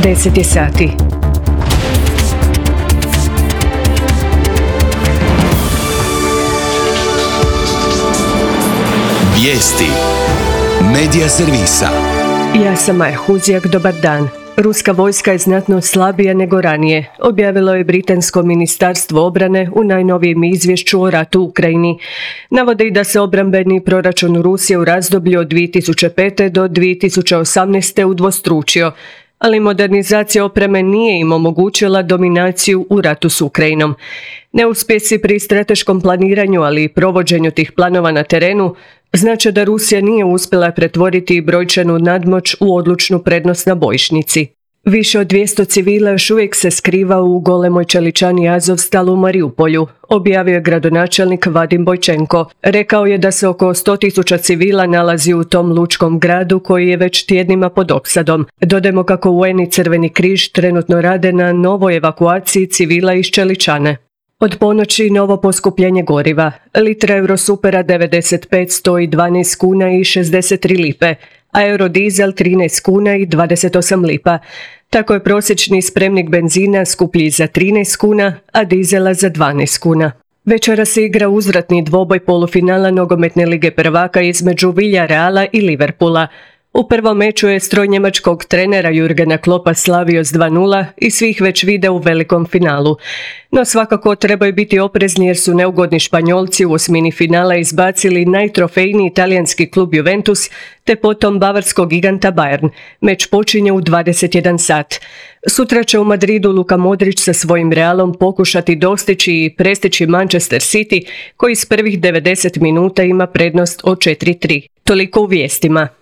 10 je sati. Vijesti Medija servisa. Ja sam Maja Huzjak, dobar dan. Ruska vojska je znatno slabija nego ranije, objavilo je Britansko ministarstvo obrane u najnovijem izvješću o ratu u Ukrajini. Navode i da se obrambeni proračun Rusije u razdoblju od 2005. do 2018. udvostručio, ali modernizacija opreme nije im omogućila dominaciju u ratu s Ukrajinom. Neuspjesi pri strateškom planiranju, ali i provođenju tih planova na terenu, znači da Rusija nije uspjela pretvoriti brojčanu nadmoć u odlučnu prednost na bojišnici. Više od 200 civila još uvijek se skriva u golemoj čeličani Azovstal u Mariupolju, objavio je gradonačelnik Vadim Bojčenko. Rekao je da se oko 100.000 civila nalazi u tom lučkom gradu koji je već tjednima pod opsadom. Dodajmo kako UN i Crveni križ trenutno rade na novoj evakuaciji civila iz čeličane. Od ponoći novo poskupljenje goriva. Litra Eurosupera 95 stoji 12 kuna i 63 lipe, a Eurodizel 13 kuna i 28 lipa. Tako je prosječni spremnik benzina skuplji za 13 kuna, a dizela za 12 kuna. Večera se igra uzvratni dvoboj polufinala nogometne lige prvaka između Villarreala i Liverpoola. U prvom meču je stroj njemačkog trenera Jurgena Kloppa slavio s 2:0 i svih već vide u velikom finalu. No svakako trebaju biti oprezni jer su neugodni Španjolci u osmini finala izbacili najtrofejniji talijanski klub Juventus te potom bavarskog giganta Bayern. Meč počinje u 21 sat. Sutra će u Madridu Luka Modrić sa svojim Realom pokušati dostići i prestići Manchester City koji s prvih 90 minuta ima prednost od 4:3. Toliko u vijestima.